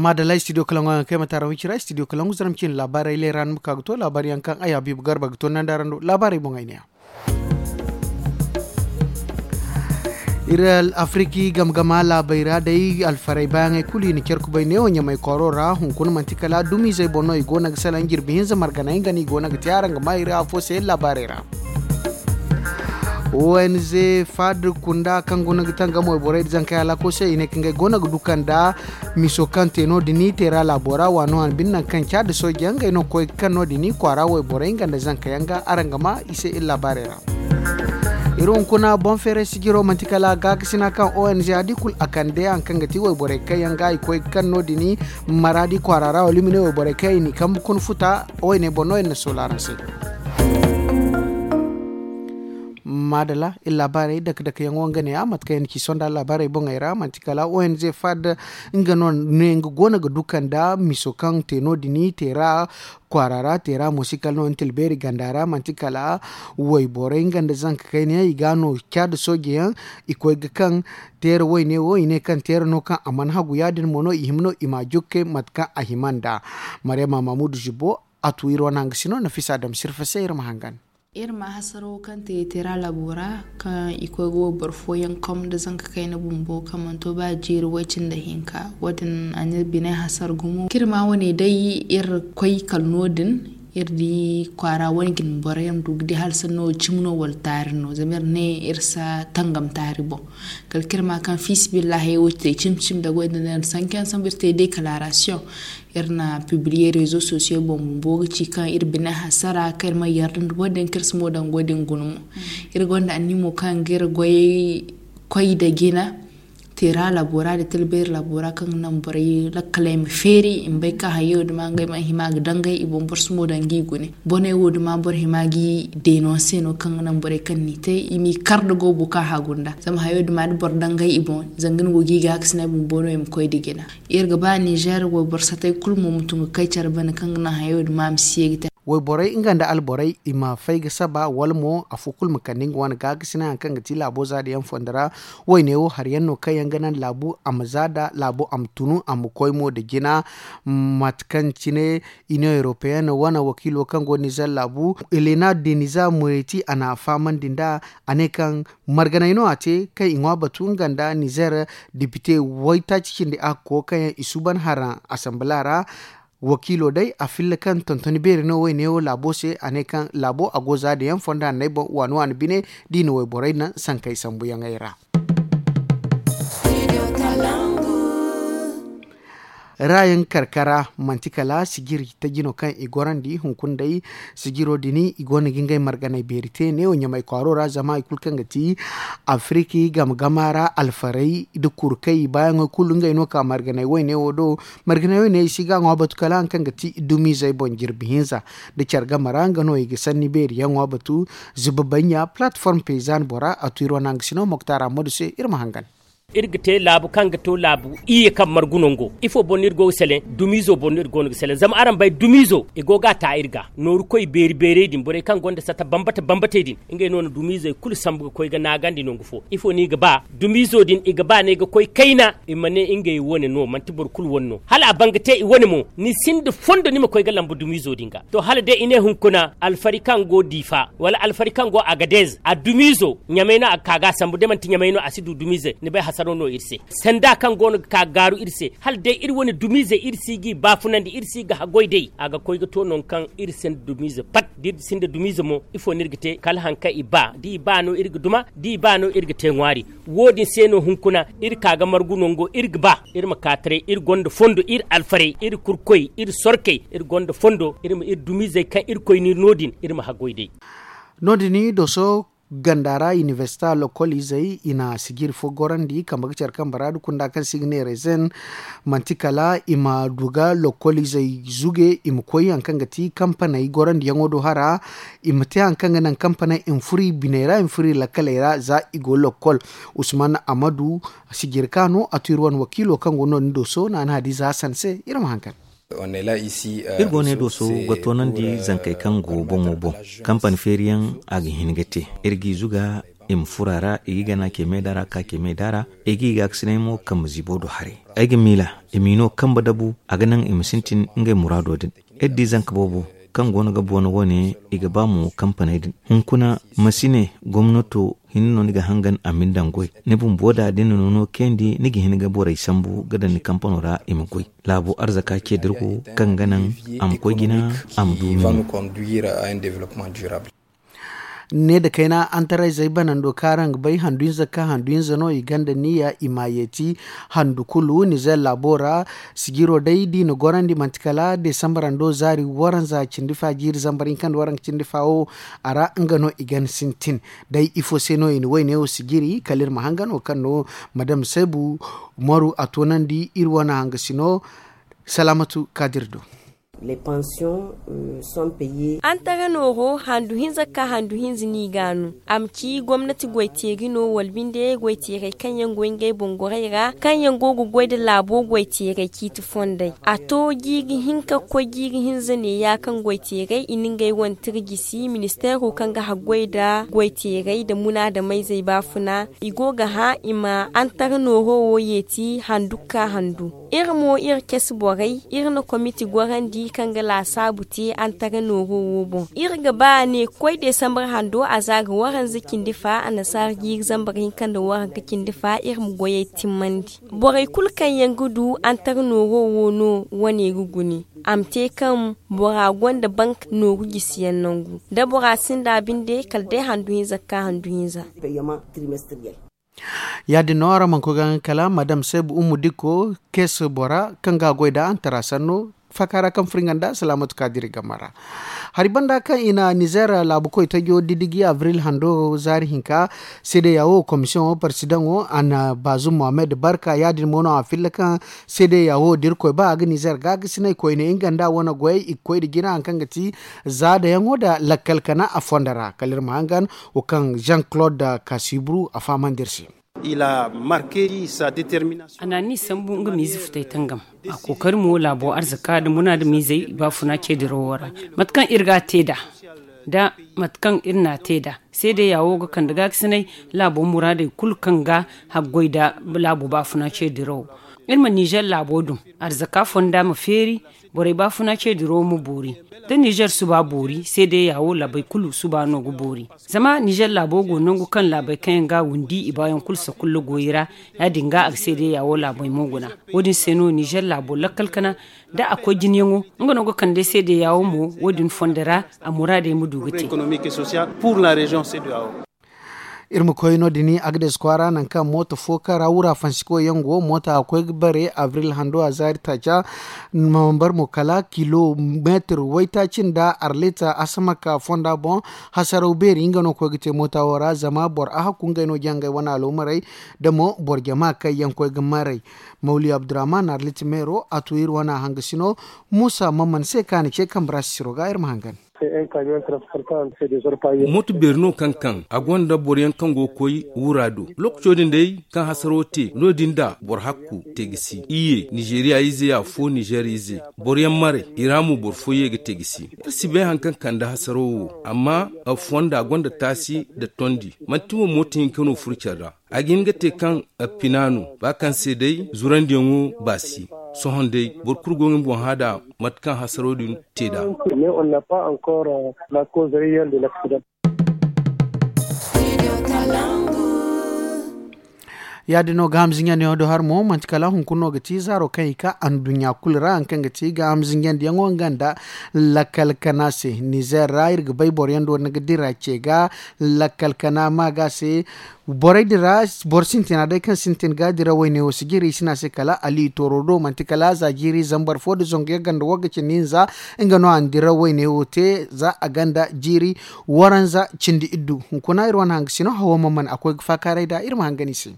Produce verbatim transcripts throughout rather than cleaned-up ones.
Maadalla studio kalaŋo yaŋ kaŋ ay ma taara wici ra studio kalaŋo zaram cine laabaarey leera ni ma ka ga to laabaari yaŋ kaŋ ay habiibu garba ga to nanda ra ndo laabaarey boŋ ay ne yaŋ. Iri afiriki game game laabey ra day alfarey baayaŋey kulu i na care kubay neewo ɲamay kooro ra hunkuna manti kala dumizey boŋ no i go no ga salaŋ jirbi hinza marganey nga no i go no ga te araŋ ga ma iri afo se laabaarey ra. Onz fad kunda kaŋ go no ga tangam wayborey da zankey alaako se i ne kaŋ ngey go no ga du kanda miso kaŋ te no- din teera laabo ra waano wane bine nangu kaŋ caada sooje yaŋ ngey no ga koy ga kaŋ no- din kwaara wayborey nga nda zanka yaŋ ga araŋ ga ma i se iri laabaarey ra. Iri hunkuna boŋ feeray sijiro manti kala gaakasina kaŋ onz a di kulu a kande haŋ kaŋ ga ti wayborey kaŋ yaŋ ga i koy ga kaŋ no- din maraadi kwaara ra wala i ma ne wayborey kaŋ i n'i kambe kuna futa wayne boŋ no iri na soola araŋ se. Maadala iri laabaarey dake dake yaŋo nga ne ya mate kaŋ yaŋ na ci sonda laabaarey boŋey ra manti kala onz fad nga no ne nga go no ga du kanda miso kaŋ te no- din teera kwaara ra teera mo si kala no ntilbeeri ganda ra manti kala wayborey nga nda zanka kayna yaŋ i ga no caada sooje yaŋ i koy ga kaŋ teera wayne wo i ne kaŋ teera no kaŋ a mana hagu ya- din mo no i hima no i ma a jokke mate kaŋ a hima nd'a. Maryama mamudu zibo a tu iri wane hangasino nafisa dam sirfa se iri ma hangan. Iri ma hasaro kaŋ te teera laabo ra kaŋ i koy ga wayboro fooyaŋ kom nda zanka kayna bumbo kaŋ mana to ba jiiri way- cindi hinka wo- din a na iri bine hasara gumo kaŋ iri ma wane day iri koy kala no- din iri di kwaara wane jine borey yaŋ ma du ga di hala sanno cimi no wala taari no zama iri ne iri si a tangam taari boŋ. Kala kaŋ iri ma kaŋ fiisabilillahi wo te cimi cimi nda goy nda no iri sanka yaŋ sambu iri te dekalaarasiyoŋ iri na pibiliye rezo sosiyo boŋ bumbo ga ci kaŋ iri bine hasara kaŋ iri ma yarda nda wo- din kaŋ iri si mo daŋ goy din guna mo. Iri gonda annimo kaŋ ga iri goy koy nda jina teera laabo ra nda talbeeri laabo ra kaŋ ga naŋ borey lakkaley ma feeri i ma bay kaŋ hayo duma ngey mana hima ga dangay i boŋ boro si mo daŋ ga i gune boney wo duma boro hima ga i deenonse no kaŋ ga naŋ borey kaŋ n'i te i m'i kar nda goobo kaŋ hagu nda zama hayo duma da boro dangay i boŋ zanga ni go ga i gaakasinay bumbo no i ma koy nda jina. Iri ga ba nizer wayboro satay kulu mo ma tun ga kay care bane kaŋ ga naŋ hayo duma ma si ye ga te. Wayborey nga nda alborey i ma fay ga saba wala mo afo kulu ma kande nga wane gaakasinay hari kaŋ ga ti laabo zaada yaŋ fondo ra. Wayne wo hari yaŋ no kaŋ yaŋ ga naŋ laabu a ma zaada laabu a ma tunu a ma koy mo nda jina. Mate kaŋ cine iniyoŋ europeyen wane wakiilo kaŋ go nizer laabu elena deniza mureti a na a fahamandi nd'a a ne kaŋ marganay no a te kaŋ i ŋwa batu nga nda nizer depite waytaaci cindi a ga koy kaŋ yaŋ i suuban haraŋ asambila ra. Wakiilo day a filla kaŋ tontoni beeri no wayne wo laabo se a ne kaŋ laabo a go za da yaŋ fonda nda ay boŋ waani waani bine da i na wayborey naŋ sankey sambuyaŋey ra. Raayaŋ karkara manti kala sijiri taji no kaŋ i gorandi hunkuna day. Sijiro din i go no ga ngey marganey beeri te neewo ɲamay kwaaro ra zama hari kulu kaŋ ga ti afiriki game gama ra alfarey nda kurkey baayaŋey kulu ngey no ka marganey wayne wo do. Marganey wayne i si ga a ŋwa batu kala hari kaŋ ga ti dumizey boŋ jirbi hinza nda care game ra nga no i ga sanni beeri yaŋ ŋwa batu. Zuba banya platform paysan bora a tu iri wane hangasino moktar ammadu se iri ma hangan. Iri ga te laabu kaŋ ga to laabu iyye kaŋ margu nango ifo boŋ no iri go ga seleŋ? Dumiizo boŋ no iri go no ga seleŋ zama araŋ bay dumiizo i go ga a ta iri ga nooru koy beeri beerey din borey kaŋ gonda sata bambata bambatey din ngey no na dumiizey kulu sambu ga koy ga naagandi nangu fo ifo no i ga ba? Dumiizo din i ga ba no ay ga koy kayna i ma ne ngey wane no manti boro kulu wane no hala a ban ga te i wane mo ni sinda fondo ni ma koy ga lambu dumiizo din ga to hala day i ne hunkuna alfari kaŋ go diifa wala alfari kaŋ go agadez a dumiizo ɲamay no a ga ka ga a sambu day manti ɲamay no a si du dumiize ni bay hasaro no iri se. Sanda kaŋ go no ga ka ga gaaru iri se hala day iri wane dumiize iri si g'i baafunandi iri si ga haggoy day a ga koy ga to nangu kaŋ iri sinda dumiize pat da iri sinda dumiize mo ifo no iri ga te kala hari kaŋ i ba da i ba no iri ga duma da i ba no iri ga te ŋwaari. Wo- din se no hunkuna iri ka ga margu nango iri ga ba iri ma ka taray iri gonda fondo iri alfarey iri kurkoy iri sorkey iri gonda fondo iri ma iri dumiizey kaŋ iri koy no iri no- din iri ma haggoy day. No- din doso ganda ra inibersita lokol izey i na sijiri fo gorandi kambe ga care kambe ra da kunda kaŋ se i ga ne rezen. Manti kala i ma du ga lokol izey zuge i ma koy hari kaŋ ga ti kampaney gorandiyaŋo do hara. I ma te hari kaŋ ga naŋ kampaney i ma furo i biney ra i ma furo i lakkaley ra za i go lokol. Usman amadu sijiri ka no a tu iri wane wakiilo kaŋ go no- din doso naana hadiza hasan se iri ma hankan. Iri go ne do so ga toonandi zankey kaŋ go boŋo boŋ kampani feeriyaŋ a ga hin ga te iri g'i zuga. i ma furo a ra, i ga i gana ce meeda ra ka ce meeda ra. I ga i gaakasinay mo kambe ziibo do haray. Ay ga miila i m'i no kambe dabu, a ga naŋ i ma sintin ngey muraado din. Iri di zanka boobo kaŋ go no ga boona wo- ne, i ga ba mo kampaney din. Hunkuna, ma si ne gomnato hinne no ni ga hangan a ma ni daŋ goy. Ni bumbo da da ni na nono kayandi, ni ga hin ga borey sambu ga daŋ ni kampano ra i ma goy. Laabo arzaka ce dirgo kaŋ ga naŋ a ma koy jina, a ma du. Ne da kayna antarayzey banando kaŋ araŋ ga bay handu hinza ka handu hinza no i gonda niya i ma yeeti handu kulu nizer laabo ra. Sijiro day da i na gorandi manti kala desambarando zaari waranza cindi fa jiiri zambar hinka nda waranka cindi fa wo, a ra nga no i gan sintin. Day ifo se no i na wayne wo sijiri kala iri ma hangan wo kaŋ no madam sebu umaru a toonandi iri wane hangasino. Salaamatu kaadir do. Antara nooro handu hinza ka handu hinza no i ga a no. A ma ci gomnati goy-teeri no wala binde goy-teerey kaŋ yaŋ go ngey boŋ gorey ra kaŋ yaŋ go ga goy nda laabo goy-teerey ciiti fondey. A to jiiri hinka ga koy jiiri hinza neeya kaŋ goy-teerey i na ngey wane tirjisi ministeero kaŋ ga haggoy nda goy-teerey nda munaadamayzey baafuna. I go ga hã i ma antara nooro wo yeeti handu ga ka handu. Iri mo iri casi borey iri na komiti gorandi kaŋ ga laasaabu te antara nooro wo boŋ. Iri ga ba a ne koy desambar hando a za ga waranza cindi fa annasaara jiiri zambar hinka nda waranka cindi fa iri ma goyey timmandi. Borey kulu kaŋ yaŋ ga du antara nooro wo no wane ga gune. A ma te kaŋ bora gonda bank nooru jisiyaŋ nangu da bora sinda binde kala day handu hinza ga ka handu hinza. Ya- din no araŋ mana koy ga nga kala madam seebu ummu dikko kees bora kaŋ ga a goy nda antara sanno faaka ra kaŋ furo nga nda salaamatu kaadiri game ra. Hari banda kaŋ i na nizer laabu koy tajo didiji abril hando zaari hinka, seede yaawo komisiyoŋo parsidaŋo a na baazum mohammed barka ya- din mo no a filla kaŋ seede yaawo da irkoy ba a ga nizer gaakasinay koyne nga nda a wane goyey i ga koy nda jina hari kaŋ ga ti zaadayaŋo nda lakkal kana a fondo ra kala iri ma hangan wo kaŋ jean claude kasibru a fahamandi iri se. A na ni sambu nga miize futay tangam a kookari mo laabo arzaka nda munaadamiizey baafuna ceedirawo ra. Mate kaŋ iri ga a te nd'a nda mate kaŋ iri n'a te nd'a seede yaawo ga kande gaakasinay laabo muraadey kulu kaŋ ga haggoy nda laabo baafuna ceedirawo. Iri ma nizer laabo dum arzaka fonda ma feeri. Borey baafuna ceedirawo ma boori da nizer suba boori seede yaawo laabey kulu suba no ga boori. Zama nizer laabo go nangu kaŋ laabey kaŋ yaŋ ga a windi i baayaŋ kulu sakulla goyi ra. Ya- din ga a ga seede yaawo laabey mo guna. Wo- din se no nizer laabo lakkal kana da a koy jinyaŋo nga no ga kande seede yaawo mo wo- din fondo ra a muraadey ma du ga te. Iri ma koy no- din agades kwaara nangu kaŋ mooto fo kaŋ ra wura fansiko yaŋ go mooto a koy ga bare abril hando a zaari taaca. Mambar mo kala kilomeetir waytaaci nda arlita asamaka fonda boŋ. Hasaraw beeri nga no koy ga te mooto wo ra zama boro ahakku ngey no jangay wane aloomarey da mo boro jama kaŋ yaŋ koy ga maray. Mawli abdurrahman arlita meero a tu iri wane hangasino. Muusa mamman se kaŋ a na ce kambe ra sisiro ga iri ma hangan. Mooto beeri no kaŋ kaŋ a gonda boroyaŋ kaŋ go ga koy wura do. Lookaco din day kaŋ hasaro te no- din da boro hakku te ga si iyye nizeeriya ize afo nizeer ize. Boroyaŋ maray i ra mo boro fo ye ga te ga si. Iri si bay hari kaŋ kande hasaro wo amma fonda gonda taasi nda tondi. Manti mo mooto hinka no furo care ra. A ga hin ga te kaŋ a pina no ba kaŋ se day zurandiyaŋo baasi. Sohõ day boro kulu go ga nga boŋ hã nd'a mate kaŋ hasaro din te nd'a. Ya- din no gaaham zinjandi yaŋo do hari mo manti kala hunkuna no ga ti zaaro kaŋ i ka anduɲɲa kulu ra hari kaŋ ga ti gaaham zinjandi yaŋo nga nda lakkal kana se nizer ra iri ga bay boro yaŋ do ni ga dira ce ga lakkal kana ma ga se. Borey din ra boro sintina day kaŋ sintin ga dira wayne wo si jiri i si ne a se kala ali tooro do manti kala za jiiri zambar fo nda zangu yagga nda wagga cindi hinza. Nga no a na dira wayne wo te za a gonda jiiri waranza cindi iddu hunkuna iri wane hangasino hawo ma mana a koy ga faakaaray nd'a iri ma hangan i se.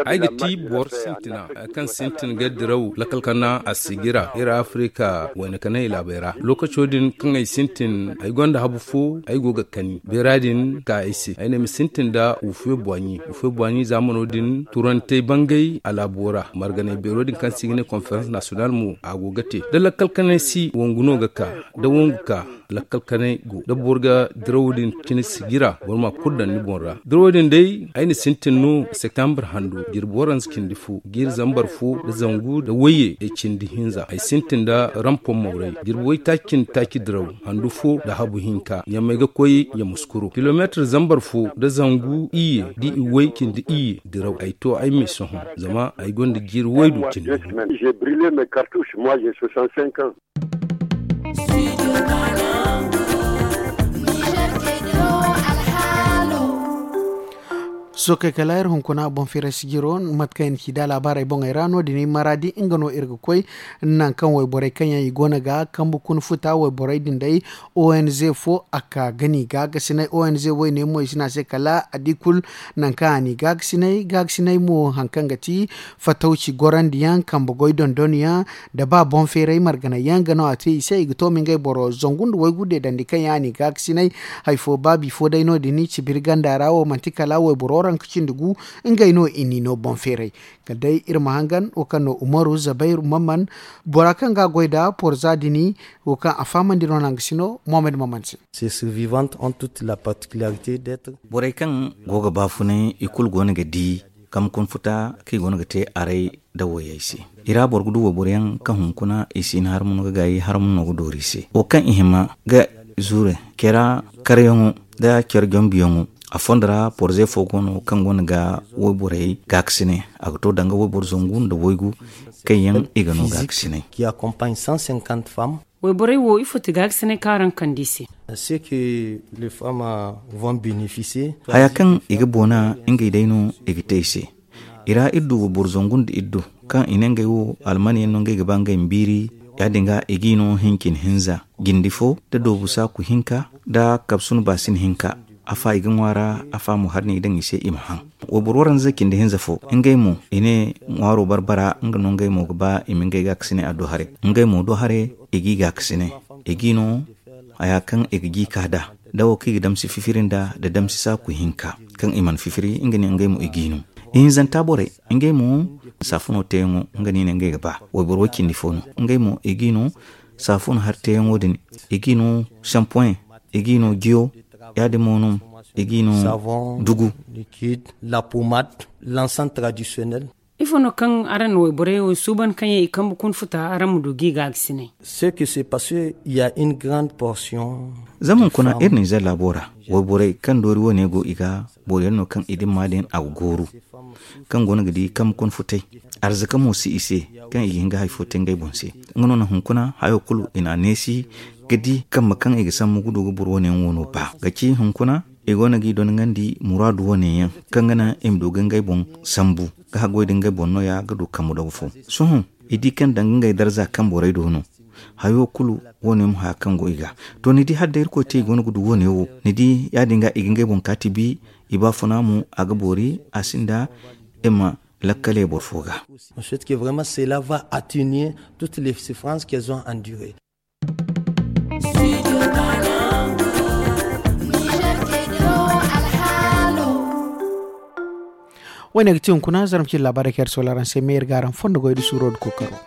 Ay ga ti boro sintina kaŋ sintin ga diraw lakkal kana a sigira iri Afrika wayna kanay laabey ra. Lokaco din kaŋ ay sintin, ay gonda habu fo, ay go ga kani beera din ka ay se ay ne ma sintin nda wufe boiɲi wufe boiɲi zaamano din turantey bangay a laabo ra marganay beero din kaŋ se i ga ne konferans nasiyonal mo a go ga te da lakkal kanay si wangu no ga ka da wangu ka lakkal kanay go da boro ga dirawo din cine sijira boro ma kulu daŋ ni boŋ ra. Dirawo din day ay na sintin no septembre hando jirbi waranza cindi fo jiiri zambar fo da zangu da wayye da cindi hinza ay sintin da rampon mawray jirbi waytaaci cindi taaci diraw handu fo da habu hinka ɲamay ga koy ɲamuskuro kilomeetir zambar fo da zangu iyye da i way cindi iyye diraw ay to ay ma ay sohõ zama ay gonda jiiri waydu cindi gu. Sookey kala iri hunkuna boŋ feeray sijiro mate kaŋ i na ci da laabaarey boŋey ra no- din maraadi nga no iri ga koy. Nangu kaŋ wayborey kaŋ yaŋ i go no ga kambe kuna futa wayborey din day, ong fo a ka ga n'i gaagasinay ong woyne mo i si ne a se kala a di kulu. Nangu kaŋ a n'i gaagasinay gaagasinay mo hari kaŋ ga ti fatawci gorandi yaŋ kambe goy dondon yaŋ da ba boŋ feeray marganay yaŋ ga no a te i se i ga to ma ngey boro zangu nda waygu deedandi kaŋ yaŋ a n'i gaakasinay. Hari fo ba bifo day no- din cibiri ganda ra wo manti kala wayboro ranka cindi gu. Ngey no i n'i no boŋ feeray kala day iri ma hangan wo kaŋ no umaru zabayru mamman bora kaŋ ga a goy nda porza din wo kaŋ a fahamandi no nangu sino mohamed mamman se. Ces survivantes ont toute la particularité d'être borey kaŋ go ga baafunay i kulu go no ga di kambe kuna futa kaŋ i go no ga te aray da wayey se. I ra boro ga du wayboro yaŋ kaŋ hunkuna i si hin harma no ga gaayi harma no ga doori i se wo kaŋ i hima ga zuure care karyaŋo da care jombiyaŋo. A fondo ra porze fo go no kaŋ go no ga wayborey gaakasinay a ga to danga wayboro zangu nda waygu kaŋ yaŋ i ga no gaakasinay. Wayborey wo ifo ti gaakasinay kaŋ araŋ kande i se? Haya kaŋ i ga boona ngey day no i ga te i se. I ra iri du wayboro zangu nda iri du kaŋ i ne ngey wo alman yaŋ no ngey ga ba ngey ma biiri. Ya- din ga i g'i no hincin hinza jindi fo da doobu saaku hinka da kabsun baasin hinka. Afa i ga ŋwa ra afa mo hari no i daŋ i se i ma haŋ. Wayboro waranza cindi hinza fo ngey mo i ne ŋwaaro barbara nga no ngey mo ga ba i ma ngey gaakasinay a do haray. Ngey mo do haray i g'i gaakasinay i g'i no haya kaŋ i ga g'i ka da da wo kaŋ i ga damsi fifiri nda da damsi saaku hinka kaŋ i mana fifiri nga ne ngey mo i g'i no. Ihinzanta borey ngey mo saafuno teeyaŋo nga no i ne ngey ga ba wayboro way cindi fo no. Ngey mo i g'i no saafuno hari teeyaŋo din i g'i no sampoyaŋ i g'i no jiyo. Ya- din mo no i g'i no dugu. L'ensemble traditionnel. Ifo no kaŋ araŋ na wayborey wo suuban kaŋ yaŋ i kambe kuna futa araŋ ma du g'i gaagasinay? Zama hunkuna iri na i zay laabo ra wayborey kaŋ doori wane go i ga boro yaŋ no kaŋ i dimma din a ga gooru kaŋ go no ga di kambe kuna futay. Arzaka mo si i se kaŋ i ga hin ga hari fo te ngey boŋ se. Nga no na hunkuna hayo kulu i na a neesi ga di kambe kaŋ i ga sambu ga du ga boro wane yaŋ wo no ba ga ci hunkuna i go no g'i donŋandi muraadu wane yaŋ kaŋ ga naŋ i ma du ga ngey boŋ sambu ga haggoy da ngey boŋ nooya ga du kambu dagu fo. Sohõ i di kaŋ danga ngey darza kaŋ borey do no. Hayo kulu wane mo haya kaŋ go i ga to ni di hala day irkoy te i go no ga du wane wo ni di ya- din ga i ga ngey boŋ kaati bi. I baafuna mo a ga boori a sinda i ma lakkale boro fo ga. Ensuite que vraiment cela va atténuer toutes les souffrances qu'elles ont endurées. Wo- ne ga ti hunkuna zarma cine laabaarey kaŋ iri soola araŋ se meeri ga araŋ fondo goy da suuro da kookaro.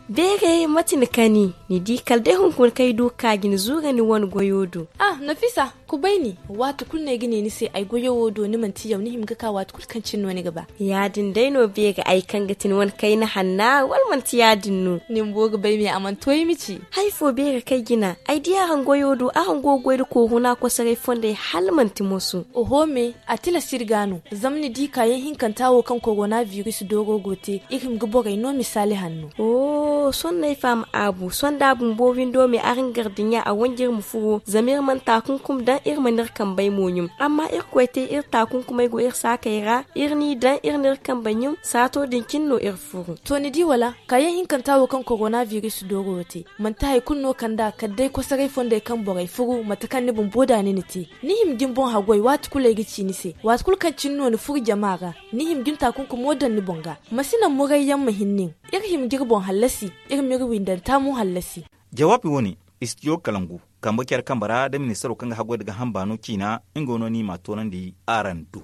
Beeray mate ni kani ni di kala day hunkuna kaŋ ay du ga ka ga ni zuura ni wane goyo do. Ah, nafisa, kubay ni. Waati kulu no ay ga ne ni se ay goyo wo do ni manti yaw ni hima ga ka waati kulu kaŋ cine no ni ga ba. Ya- din day no beeray ay kaŋ ga ti ni wane kayna hanna wala manti ya- din no? Ni bumbo ga bay me a mana to ay ma ci. Hari fo beeray kaŋ ay jina ay di araŋ goyo do araŋ go ga goy nda kooruna kosoray fondey hala manti moso. Oho me, a tilas iri ga no. Zama ni di kaayaŋ hinkanta wo kaŋ korona biris dooro go te iri hima ga borey no misaali hanno. Sohõ no ay faham aabu sohõ da a bumbo windo me araŋ gardiɲa a wanj'iri ma furo zama iri mana taakunkum daŋ. iri mana iri kambey mo ɲum. Amma irkoy te iri taakunkumey go iri saakey ra, iri n'i daŋ iri n'iri kambe ɲum saato din cine no iri furu. To ni di wala? Kaayaŋ hinkanta wo kaŋ korona biris dooro wo te, manti hari kulu no kand'a kala day kosoray fondey kaŋ borey furu mate kaŋ ni bumbo da ni na te. Ni hima ga ni boŋ haggoy waati kulu ay ga ci ni se, waati kulu kaŋ cine no ni furu jama ra, ni hima ga ni taakunkumo daŋ ni boŋ ga. Ma si naŋ murayyaŋ ma hin nin. Iri hima ga iri boŋ hallasi, iri m'iri windanta mo hallasi. Jawaabi wo- ne, istijo kalangu, kambe care kambe ra da ministaro kaŋ ga haggoy nda ga hamba no ciina, nga no ni m'a toonandi araŋ do.